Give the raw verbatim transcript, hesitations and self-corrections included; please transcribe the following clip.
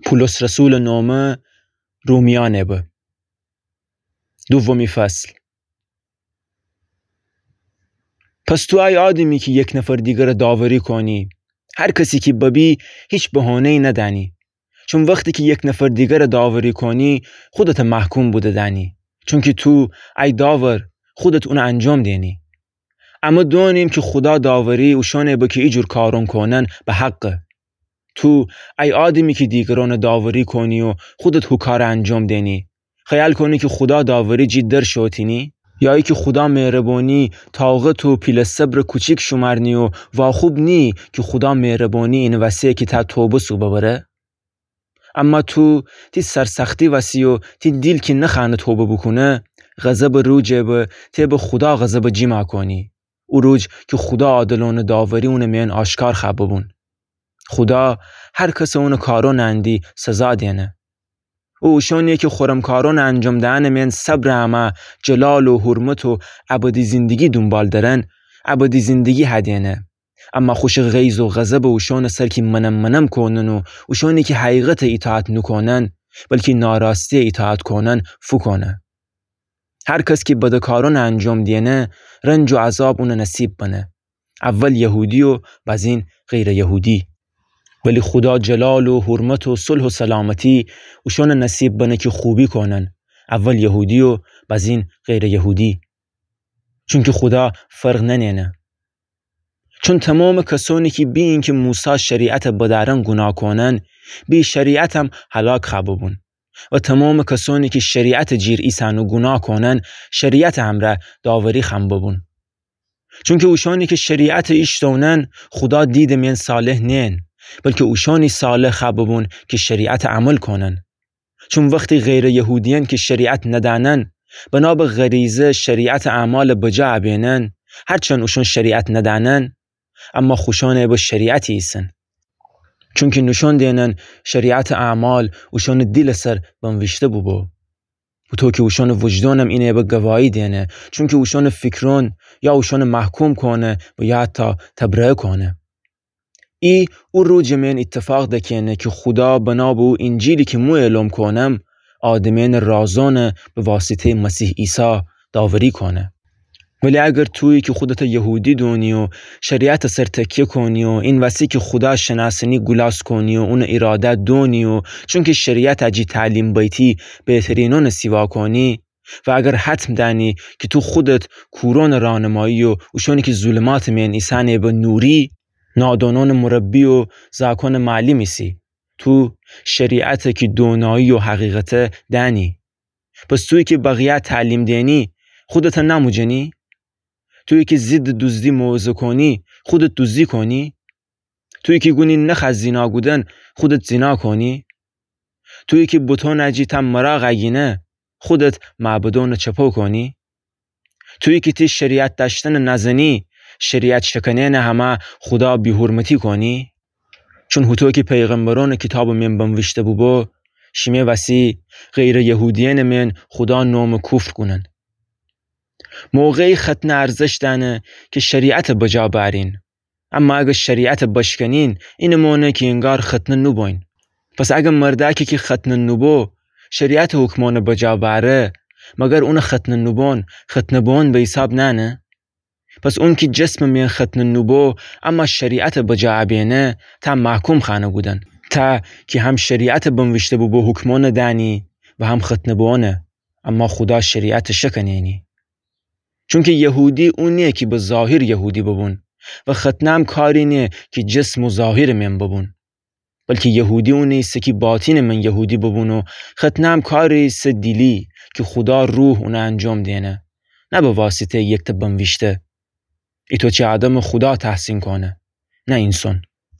پولس رسولٚ نومه رومیأنٚ به. دومی فصل. پس تو ای آدمی کی یک نفر دیگره داوری کونی، هر کسی کی ببی، هیچ بهونه‌یی ندأنی. چون وختی کی یک نفر دیگره داوری کونی، خودته محکوم بوده دأنی. چونکی تو ای داور، خودت اونه انجام دئنی. امه دونیم کی خودا داوری اوشأنی به کی ایجور کارون کونن به حقه. تو ای آدمی کی دیگرأنه داوری کونی و خودت هو کاره انجام دئنی، خیال کونی کی خودا داوری جی در شوتینی؟ یا ایکی خودا مهربانی، طاقت و پیله صبرٚ کوچیک شومرنی و واخوب نییی کی خودا مهربانی اینه وسه کی ته توبه سو ببره؟ اما تو تی سرسختی وسی و تی دیل کی نخوأنه توبه بوکونه، غضبٚ روجی به تی به خودا غضبٚ جیما کونی. او روج کی خودا عادلأنه داوری اونٚ میأن آشکار خوأ ببون. خودا هر کسٚ اونٚ کارأنٚ اندی سزا دئنه. او اوشأنی کی خورم کارأنٚ انجام دئنٚ میأن صبرٚ امه جلال و حرمت و ابدی زندگی دونبال درن، ابدی زندگی هدئنه. اما خوشٚ غیظ و غضبٚ اوشأنٚ سر کی منم منم کونن و اوشأنی کی حقیقته ایطاعت نوکونن، بلکی ناراستیه ایطاعت کونن، فوکونه. هر کس کی بده کارأنٚ انجام دئنه، رنج و عذاب اونه نصیب بنه. اول یهودی و بازین غیرٚ یهودی. ولی خودا جلال و حرمت و صلح و سلامتی اوشأنٚ نصیب بنه کی خوبی کونن، اول یهودی و بازین غیرٚ یهودی. چونکی خودا فرق ننه‌نه. چون تومامٚ کسأنی کی بی اینکی موسی شریعته بدأرن گوناه کونن، بی شریعتم هلاک خوأ ببون. و تومامٚ کسأنی کی شریعتٚ جیر ایسن و گوناه کونن، شریعتٚ امرأ داوری خوأن ببون. چونکی اوشأنی کی شریعته ایشتونن، خودا دیدٚ میأن صالح نیین، بلکی اوشأنی صالح خوأ ببون کی شریعته عمل کونن. چون وختی غیرٚ یهودیأن کی شریعت ندأنن، بنا به غریزه شریعتٚ اعمال بجا ابینن، هرچند اوشأن شریعت ندأنن، اما خوشأنٚ به شریعتی ایسن. چونکی نوشأن دئنن شریعتٚ اعمال اوشأنٚ دیلٚ سر بنویشته بوبو. هوطو کی اوشأنٚ وجدانم اینه به گواهی دئنه، چونکی اوشأنٚ فیکرأن یا اوشأنٚ محکوم کونه و یا حتی تبرئه کونه. ای او روجٚ میأن ایتفاق دکه‌نه کی خودا بنا به او اینجیلی کی مو اعلام کونم، آدمأنٚ رازأنه به واسطه‌یٚ مسیح عیسی داوری کونه. ولی اگر تویی کی خودته یهودی دونی و شریعتٚ سر تکیه کونی و این وسی کی خودا شنأسنی گولاس کونی و اونٚ ایراده دونی و چونکی شریعته جی تعلیم بیتی بهترینأنٚ سیوا کونی، و اگر حتم دأنی کی تو خودت کورأنٚ راهنمایی و اوشأنی کی ظلماتٚ میأن ایسأنٚ به نوری، نادانأنٚ مربی و زأکأنٚ معلم ایسی، تو شریعته کی دونایی و حقیقته دأنی. پس تویی کی بقیه تعلیم دئنی، خودته نموجنی؟ تویی کی ضدٚ دزدی موعظه کونی، خودت دزدی کونی؟ تویی کی گونی نخوأ زینا کودن، خودت زینا کونی؟ تویی کی بتأنٚ جی ته مراغ اگینه، خودت معبدأنٚ چپو کونی؟ تویی کی تی شریعت دأشتنٚ نزنی، شریعت شکنأنٚ همه خودا بی‌حرمتی کونی؟ چون هوطو کی پیغمبرأنٚ کیتابٚ میأن بنویشته بوبو، شیمه وسی غیرٚ یهودیأنٚ میأن خودا نومٚ کفر کونن. موقعی ختنه ارزش دأنه کی شریعته بجا بأرین. اما اگر شریعته بشکنین، اینه مانه کی انگار ختنه نوبوین. پس اگر مردأکی کی ختنه نوبو، شریعتٚ حکمأنه بجا بأره، مگر اونٚ ختنه نوبوئن، ختنه بوئن به حیساب نأنه؟ پس اونکی جسمٚ میأن ختنه نوبو، اما شریعته بجا ابینه، ته محکوم خوأنه کودن. ته کی هم شریعته بنویشته بوبو حکمأنه دأنی و هم ختنه بوئنه، اما خودا شریعته شکنینی. چونکی یهودی او نییه کی به ظاهر یهودی ببون و ختنه هم کاری نییه کی جسم و ظاهرٚ میأن ببون. بلکی یهودی اونی ایسه کی باطنٚ میأن یهودی ببون و ختنه هم کاری ایسه دیلی کی خودا روح اونه انجام دینه، نه به واسطه‌یٚ یکته بنویشته. ایتو چی آدمٚ خودا تحسین کونه، نه اینسون.